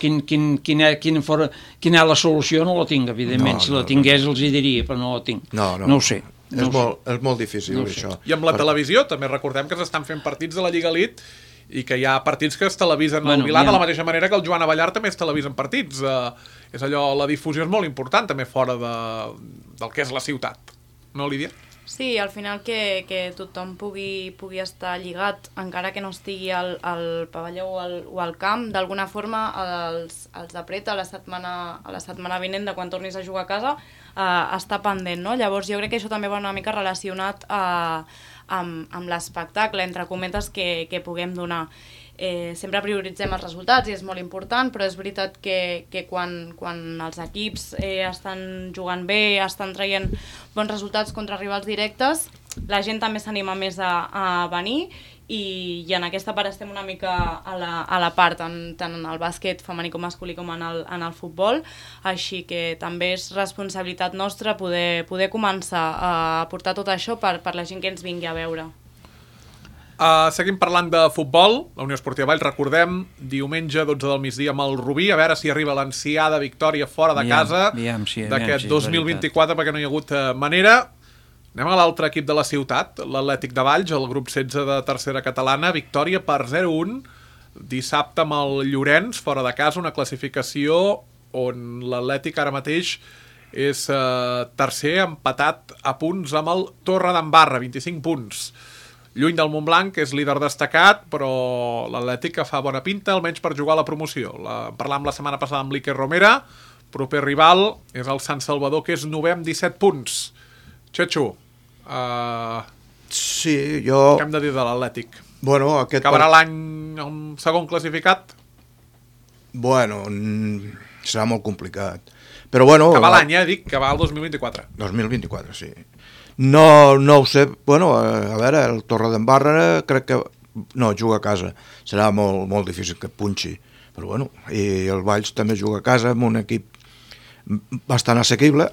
Speaker 5: quina és la solució no la tinc, evidentment. Si la tingués els hi diria, però no la tinc. No ho sé.
Speaker 3: És molt difícil, això.
Speaker 2: I amb la televisió, també recordem que s'estan fent partits de la Lliga Elite i que hi ha partits que es televisen al Vilà de la mateixa manera que el Joan Abellar també es televisen partits. És allò, la difusió és molt important també fora del que és la ciutat. No, Lídia?
Speaker 4: Sí, al final que tothom pugui estar lligat, encara que no estigui al pavelló o al camp, d'alguna forma els apreta a la setmana vinent de quan tornis a jugar a casa està pendent, no? Llavors jo crec que això també va una mica relacionat amb l'espectacle, entre cometes, que puguem donar. Sempre prioritzem els resultats i és molt important, però és veritat que quan els equips estan jugant bé, estan traient bons resultats contra rivals directes, la gent també s'anima més a venir i en aquesta part estem una mica a la part, tant en el bàsquet femení com masculí com en el futbol, així que també és responsabilitat nostra poder començar a portar tot això per la gent que ens vingui a veure.
Speaker 2: Seguim parlant de futbol. La Unió Esportiva Valls, recordem, diumenge 12 del migdia amb el Rubí, a veure si arriba l'ansiada victòria fora de casa d'aquest 2024, perquè no hi ha hagut manera. Anem a l'altre equip de la ciutat, l'Atlètic de Valls, el grup 16 de tercera catalana, victòria per 0-1 dissabte amb el Llorenç, fora de casa, una classificació on l'Atlètic ara mateix és tercer, empatat a punts amb el Torredembarra, 25 punts. Lluny del Montblanc, que és líder destacat, però l'Atlètic que fa bona pinta, almenys per jugar a la promoció. Parlàvem la setmana passada amb l'Iker Romera, proper rival és el Sant Salvador, que és 9è amb 17 punts. Xetxo,
Speaker 3: sí, jo...
Speaker 2: què hem de dir de l'Atlètic?
Speaker 3: Bueno,
Speaker 2: acabarà l'any el segon classificat?
Speaker 3: Bueno, serà molt complicat. Però bueno...
Speaker 2: Acabar l'any, dic, acabar el 2024.
Speaker 3: 2024, sí. No ho sé, bueno, a veure, el Torredembarra crec que no, juga a casa, serà molt, molt difícil que punxi, però bueno, i el Valls també juga a casa amb un equip bastant assequible,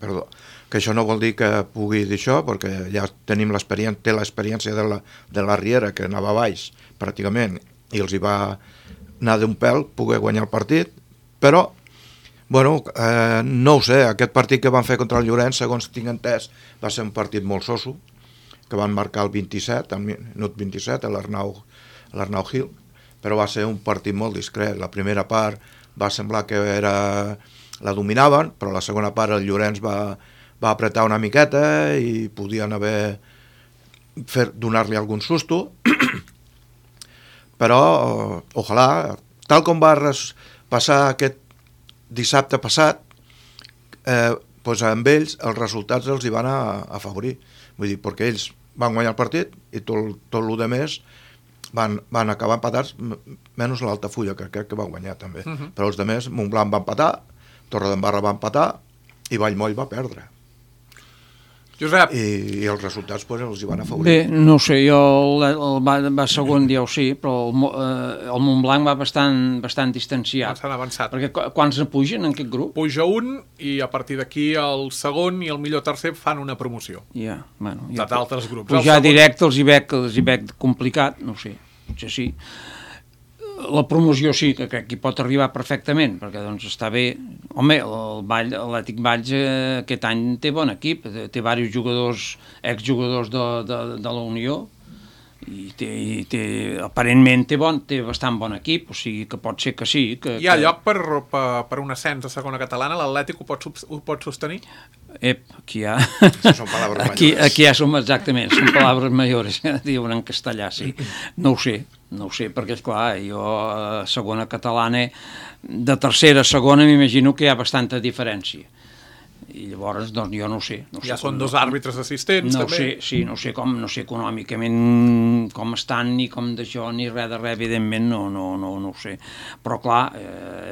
Speaker 3: perdó, que això no vol dir que pugui dir això, perquè ja tenim l'experiència de la Riera, que anava a Valls pràcticament, i els hi va anar d'un pèl poder guanyar el partit, però bueno, no ho sé, aquest partit que van fer contra el Llorenç, segons tinc entès, va ser un partit molt soso, que van marcar el 27, al minut 27, l'Arnau Gil, però va ser un partit molt discret. La primera part va semblar que la dominaven, però la segona part el Llorenç va apretar una miqueta i podien haver donar-li algun susto, però ojalà, tal com va passar aquest dissabte passat, doncs amb ells els resultats els hi van afavorir. Vull dir, perquè ells van guanyar el partit i tot el de més van acabar empatats, menys l'Altafulla, que crec que va guanyar també. Però els de més, Montblanc va empatar, Torredembarra va empatar i Vallmoll va perdre.
Speaker 2: Josep.
Speaker 3: I els resultats doncs, els hi van afavorir.
Speaker 5: Bé, no sé, jo va segon, ja ho sé, però el Montblanc va bastant distanciat.
Speaker 2: Bastant avançat.
Speaker 5: Perquè quants ne pugen en aquest grup?
Speaker 2: Puja un i a partir d'aquí el segon i el millor tercer fan una promoció.
Speaker 5: Ja, bueno.
Speaker 2: D'altres grups.
Speaker 5: Pujar directe els hi veig complicat, no sé, potser sí. La promoció sí, que crec que hi pot arribar perfectament, perquè doncs està bé. Home, l'Atlètic Valls aquest any té bon equip, té diversos jugadors, exjugadors de la Unió, i aparentment té bastant bon equip, o sigui que pot ser que sí.
Speaker 2: Hi ha lloc per un ascens a segona catalana? L'Atlètic ho pot sostenir?
Speaker 5: Aquí hi ha...
Speaker 3: Són paraules mayores.
Speaker 5: Aquí ja som exactament, són paraules mayores, diuen en castellà, sí. No ho sé, perquè esclar, jo a segona catalana, de tercera a segona m'imagino que hi ha bastanta diferència. I llavors, doncs, jo no ho sé.
Speaker 2: Ja són dos àrbitres assistents, també?
Speaker 5: No sé econòmicament com estan, ni com d'això, ni res de res, evidentment, no ho sé. Però, clar,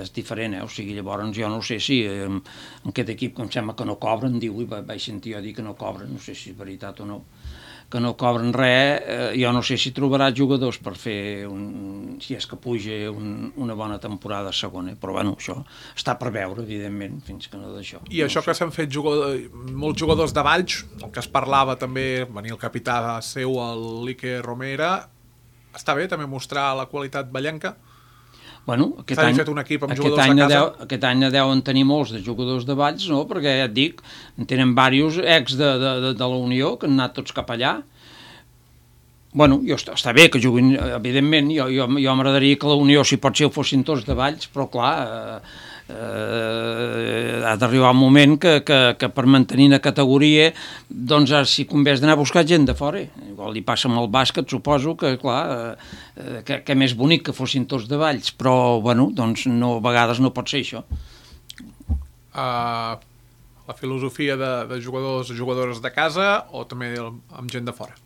Speaker 5: és diferent, o sigui, llavors jo no sé si en aquest equip que em sembla que no cobren, vaig sentir jo dir que no cobren, no sé si és veritat o no, que no cobren res, jo no sé si trobarà jugadors per fer, si és que puja una bona temporada a segona, però bueno, això està per veure, evidentment, fins que no d'això.
Speaker 2: I això que s'han fet molts jugadors de Valls, el que es parlava també, venia el capità seu, l'Iker Romera, està bé també mostrar la qualitat vallenca?
Speaker 5: Bueno,
Speaker 2: S'ha fet un equip amb jugadors de casa.
Speaker 5: Aquest any deuen tenir molts de jugadors de Valls, no? Perquè ja et dic, en tenen diversos ex de la Unió que han anat tots cap allà. Bueno, està bé que juguin, evidentment, jo m'agradaria que la Unió, si pot ser, ho fossin tots de Valls, però clar, ha d'arribar un moment que per mantenir la categoria, doncs si convé d'anar a buscar gent de fora. Igual li passa amb el bàsquet, suposo que, clar, que més bonic que fossin tots de Valls, però, bueno, doncs a vegades no pot ser això.
Speaker 2: La filosofia de jugadors o jugadores de casa o també amb gent de fora?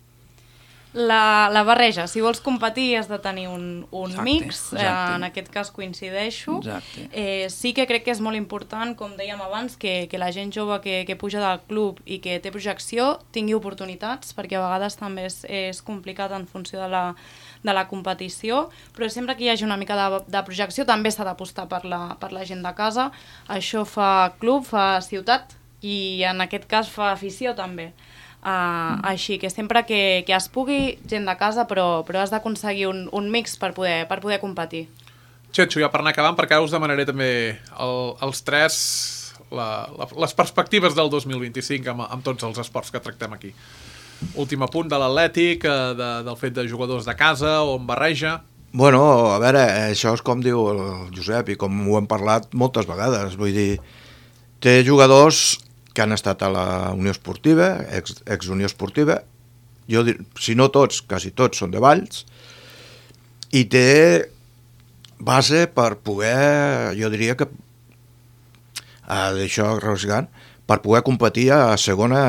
Speaker 4: La barreja, si vols competir has de tenir un mix,
Speaker 5: exacte.
Speaker 4: En aquest cas coincideixo. Sí que crec que és molt important, com dèiem abans, que la gent jove que puja del club i que té projecció tingui oportunitats, perquè a vegades també és complicat en funció de la competició, però sempre que hi hagi una mica de projecció també s'ha d'apostar per la gent de casa. Això fa club, fa ciutat i en aquest cas fa afició també. Així que sempre que es pugui, gent de casa, però has d'aconseguir un mix per poder competir.
Speaker 2: Txetxo, ja per anar acabant, perquè ara us demanaré també els tres les perspectives del 2025 amb tots els esports que tractem aquí. Últim apunt de l'Atlètic, del fet de jugadors de casa o en barreja.
Speaker 3: Bueno, a veure, això és com diu el Josep i com ho hem parlat moltes vegades, vull dir, té jugadors que han estat a la Unió Esportiva, ex-Unió Esportiva, si no tots, quasi tots són de Valls, i té base per poder, jo diria que, d'això rasgant, per poder competir a segona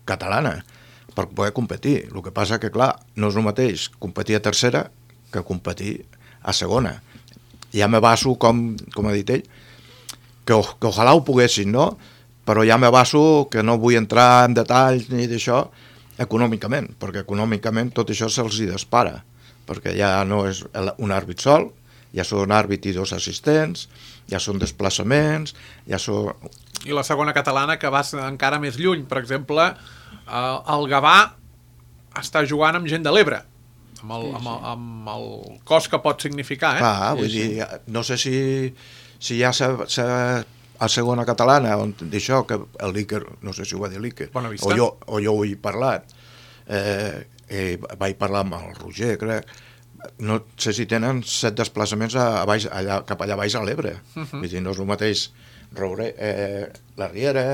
Speaker 3: catalana, per poder competir. El que passa que, clar, no és el mateix competir a tercera que competir a segona. Ja me baso, com ha dit ell, que ojalà ho poguessin, no?, però ja m'abasso que no vull entrar en detalls ni d'això econòmicament, perquè econòmicament tot això se'ls hi dispara, perquè ja no és un àrbit sol, ja són àrbit i 2 assistents, ja són desplaçaments, ja són...
Speaker 2: I la segona catalana, que vas encara més lluny, per exemple, el Gavà està jugant amb gent de l'Ebre, amb el cost que pot significar, eh?
Speaker 3: Clar, vull dir, no sé si ja s'ha a segona catalana, on d'això, que el Líquer, no sé si ho va dir Líquer, o jo ho he parlat, vaig parlar amb el Roger, crec, no sé si tenen 7 desplaçaments cap allà baix a l'Ebre. Vull dir, no és el mateix la Riera,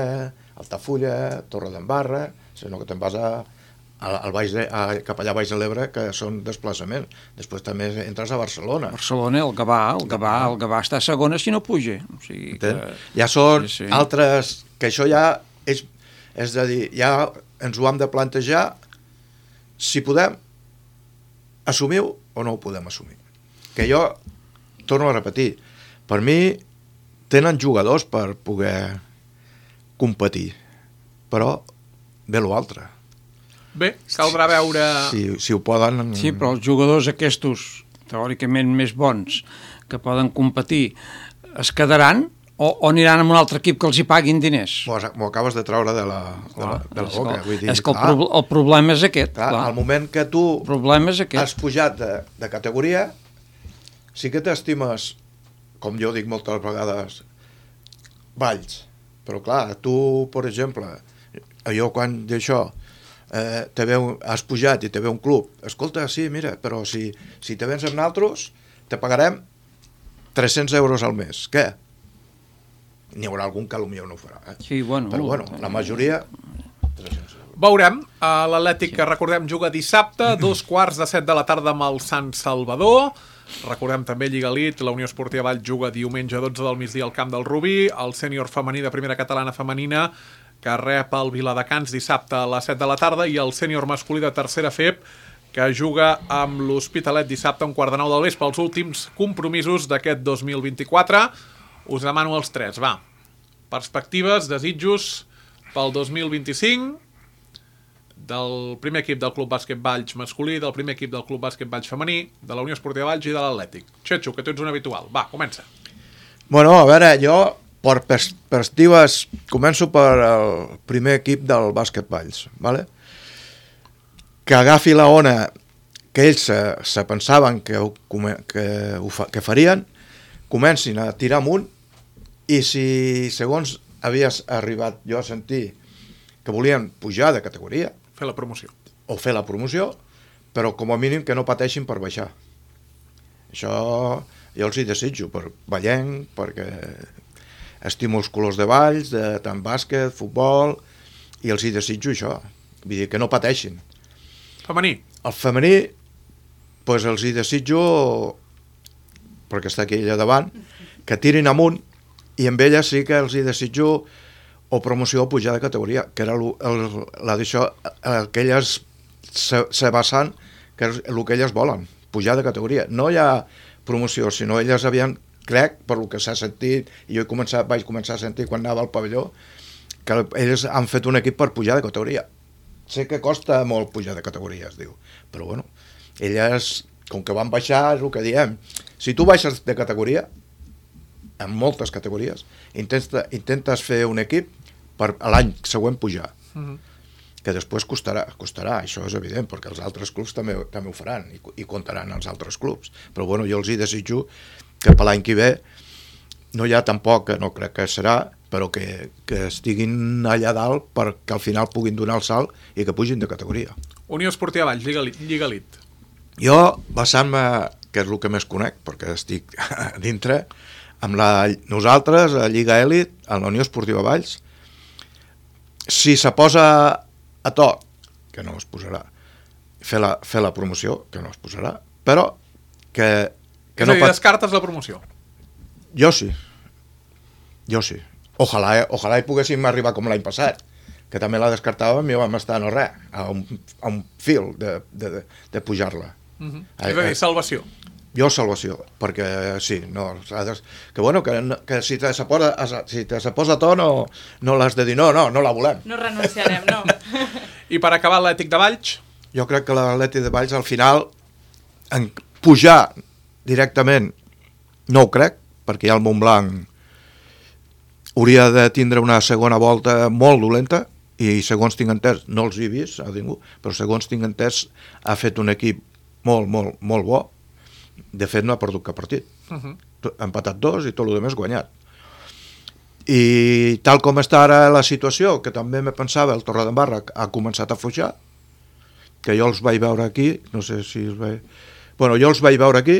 Speaker 3: Altafulla, Torredembarra, sinó que te'n vas cap allà baix de l'Ebre, que són desplaçaments. Després també entres a Barcelona.
Speaker 5: Barcelona, el Gavà està a segona si no puja. O sigui que...
Speaker 3: Ja són altres... Que això ja és a dir, ja ens ho hem de plantejar si podem assumir-ho o no ho podem assumir. Que jo, torno a repetir, per mi tenen jugadors per poder competir, però ve l'altre.
Speaker 2: Bé, caldrà veure...
Speaker 3: Si ho poden...
Speaker 5: Sí, però els jugadors aquests, teòricament més bons, que poden competir, es quedaran o aniran amb un altre equip que els hi paguin diners?
Speaker 3: M'ho acabes de treure de la boca. Vull dir,
Speaker 5: és que el problema és aquest.
Speaker 3: Clar, al moment que tu has pujat de categoria, sí que t'estimes, com jo dic moltes vegades, Valls. Però clar, tu, per exemple, jo quan d'això... has pujat i te ve un club, escolta, sí, mira, però si te vens amb nosaltres te pagarem 300 euros al mes, què? N'hi haurà algun que potser no ho farà,
Speaker 5: sí, bueno,
Speaker 3: però bueno, la majoria 300 euros.
Speaker 2: Veurem, l'Atlètic, que recordem, juga dissabte, 2:15 de la tarda amb el Sant Salvador. Recordem també Lliga Elite, la Unió Esportiva Valls juga diumenge 12 del migdia al camp del Rubí, el sènior femení de primera catalana femenina que rep el Viladecans dissabte a les 7 de la tarda, i el sènior masculí de tercera FEP, que juga amb l'Hospitalet dissabte a 8:45 del vespre. Els últims compromisos d'aquest 2024. Us demano els tres, va. Perspectives, desitjos pel 2025 del primer equip del Club Bàsquet Valls masculí, del primer equip del Club Bàsquet Valls femení, de la Unió Esportiva Valls i de l'Atlètic. Txetxo, que tu ets un habitual. Va, comença.
Speaker 3: Bueno, a veure, jo... Per perspectives, començo per el primer equip del Bàsquet Valls, ¿vale? Que agafi la ona que ells se pensaven que farien, comencin a tirar amunt, i si segons havies arribat jo a sentir que volien pujar de categoria,
Speaker 2: Fer la promoció.
Speaker 3: o fer la promoció, però com a mínim que no pateixin per baixar. Això jo els hi desitjo per Vallenc, perquè estimo els colors de Valls, de tant bàsquet, futbol, i els hi desitjo això, vull dir que no pateixin.
Speaker 2: Femení.
Speaker 3: El femení, doncs els hi desitjo, perquè està aquí allà davant, que tirin amunt, i amb ella sí que els hi desitjo o promoció o pujar de categoria, que era el que elles se basen, que és el que elles volen, pujar de categoria. No hi ha promoció, sinó elles havien, crec, per el que s'ha sentit, i jo vaig començar a sentir quan anava al pavelló, que ells han fet un equip per pujar de categoria. Sé que costa molt pujar de categoria, es diu, però bueno, elles, com que van baixar, és el que diem. Si tu baixes de categoria, en moltes categories, intentes fer un equip per l'any següent pujar. Que després costarà, això és evident, perquè els altres clubs també ho faran i comptaran els altres clubs. Però bueno, jo els hi desitjo que per l'any que ve no hi ha tampoc, no crec que serà, però que estiguin allà dalt perquè al final puguin donar el salt i que pugin de categoria.
Speaker 2: Unió Esportiva Valls, Lliga Elite.
Speaker 3: Jo, basant-me, que és el que més conec, perquè estic dintre, amb nosaltres, a Lliga Elite, a la Unió Esportiva Valls, si se posa a to, que no es posarà, fer la promoció, que no es posarà, però que
Speaker 2: és a dir, descartes la promoció?
Speaker 3: Jo sí. Ojalà hi poguéssim arribar com l'any passat, que també la descartàvem i vam estar no res, a un fil de pujar-la.
Speaker 2: És a dir, salvació.
Speaker 3: Jo salvació, perquè sí, no, que bueno, que si te se posa a to no l'has de dir, no la volem.
Speaker 4: No renunciarem, no.
Speaker 2: I per acabar l'Atlètic de Valls?
Speaker 3: Jo crec que l'Atlètic de Valls al final en pujar directament no ho crec, perquè ja el Montblanc hauria de tindre una segona volta molt dolenta i segons tinc entès, no els he vist a ningú, però segons tinc entès ha fet un equip molt, molt, molt bo. De fet no ha perdut cap partit. Ha empatat 2 i tot el demés guanyat. I tal com està ara la situació, que també me pensava el Torredembarra ha començat a afluixar, que jo els vaig veure aquí, no sé si els vaig... Bueno, jo els vaig veure aquí,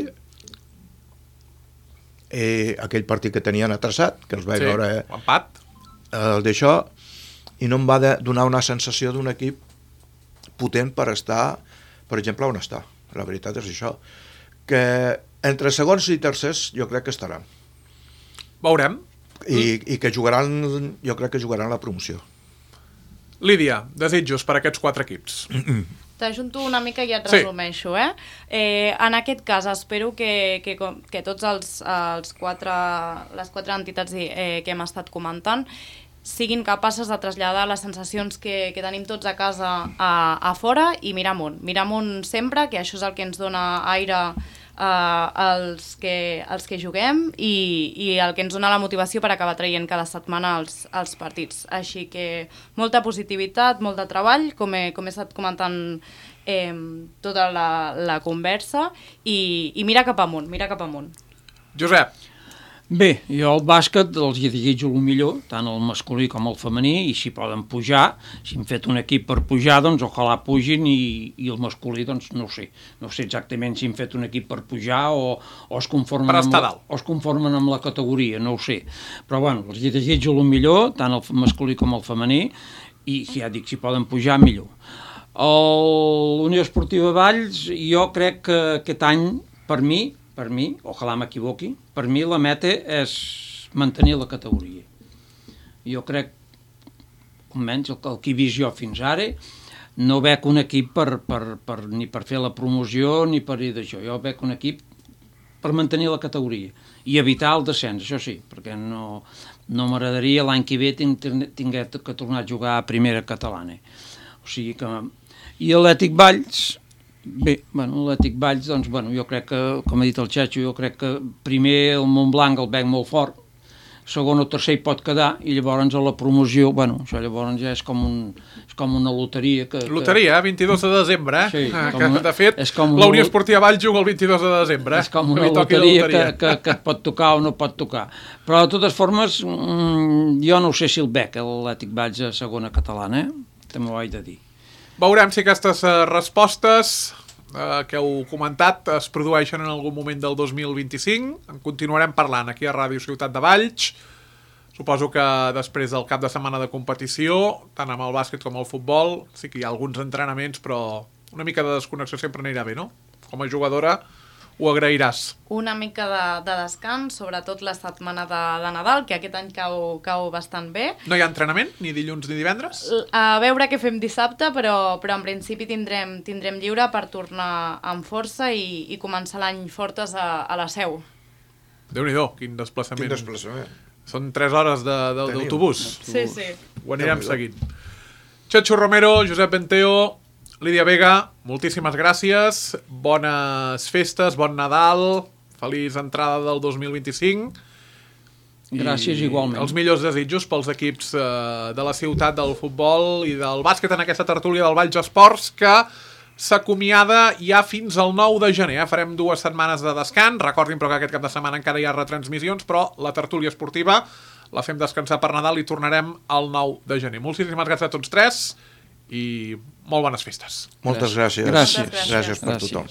Speaker 3: aquell partit que tenien atrasat, que els vaig veure...
Speaker 2: Empat.
Speaker 3: D'això, i no em va donar una sensació d'un equip potent per estar, per exemple, on està. La veritat és això. Que entre segons i tercers jo crec que estaran.
Speaker 2: Veurem.
Speaker 3: I que jugaran, jo crec que jugaran la promoció.
Speaker 2: Lídia, desitjos per a aquests 4 equips.
Speaker 4: T'ajunto una mica i et resumeixo. En aquest cas espero que tots les 4 entitats que hem estat comentant siguin capaces de traslladar les sensacions que tenim tots a casa a fora i mirar amunt sempre, que això és el que ens dona aire als que juguem i el que ens dona la motivació per acabar traient cada setmana els partits. Així que molta positivitat, molt de treball, com he estat comentant tota la conversa i mira cap amunt.
Speaker 2: Josep.
Speaker 5: Bé, jo al bàsquet els hi desitjo el millor, tant el masculí com el femení, i si poden pujar, si han fet un equip per pujar, doncs ojalà pugin, i el masculí, doncs no ho sé. No sé exactament si han fet un equip per pujar o es conformen amb la categoria, no ho sé. Però bueno, els hi desitjo el millor, tant el masculí com el femení, i ja dic, si poden pujar, millor. L'Unió Esportiva Valls, jo crec que aquest any, per mi, ojalà m'equivoqui, per mi la meta és mantenir la categoria. Jo crec, almenys el que he vist jo fins ara, no veig un equip ni per fer la promoció ni per dir d'això. Jo veig un equip per mantenir la categoria i evitar el descens, això sí, perquè no m'agradaria l'any que ve tinguer que tornar a jugar a primera catalana. O sigui que... I l'Atlètic Valls... Bé, l'Atlètic Valls, doncs, jo crec que, com ha dit el Xacho, jo crec que primer el Montblanc el veig molt fort, segon o tercer hi pot quedar, i llavors a la promoció, bueno, això llavors ja és com una loteria.
Speaker 2: Loteria, 22 de desembre,
Speaker 5: Sí,
Speaker 2: de fet, la Unió Esportiva Valls juga el 22 de desembre.
Speaker 5: És com una loteria que et pot tocar o no pot tocar. Però, de totes formes, jo no sé si el bec, l'Atlètic Valls a segona catalana, també ho haig de dir.
Speaker 2: Veurem si aquestes respostes que heu comentat es produeixen en algun moment del 2025. En continuarem parlant aquí a Ràdio Ciutat de Valls. Suposo que després del cap de setmana de competició, tant amb el bàsquet com el futbol, sí que hi ha alguns entrenaments, però una mica de desconnexió sempre anirà bé, no? Com a jugadora ho agrairàs.
Speaker 4: Una mica de descans, sobretot la setmana de Nadal, que aquest any cau bastant bé.
Speaker 2: No hi ha entrenament, ni dilluns ni divendres?
Speaker 4: A veure què fem dissabte, però en principi tindrem lliure per tornar amb força i començar l'any fortes a la Seu.
Speaker 2: Déu-n'hi-do, quin desplaçament.
Speaker 3: Quin desplaçament.
Speaker 2: Són 3 hores d'autobús.
Speaker 4: Sí.
Speaker 2: Ho anirem seguint. Chacho Romero, Josep Benteo, Lídia Vega, moltíssimes gràcies, bones festes, bon Nadal, feliç entrada del 2025.
Speaker 5: Gràcies, igualment.
Speaker 2: Els millors desitjos pels equips de la ciutat del futbol i del bàsquet en aquesta tertúlia del Valls Esports, que s'acomiada ja fins al 9 de gener. Farem 2 setmanes de descans. Recordin, però, que aquest cap de setmana encara hi ha retransmissions, però la tertúlia esportiva la fem descansar per Nadal i tornarem al 9 de gener. Moltíssimes gràcies a tots tres i molt bones festes.
Speaker 3: Moltes gràcies.
Speaker 5: Gràcies.
Speaker 3: Gràcies per tothom.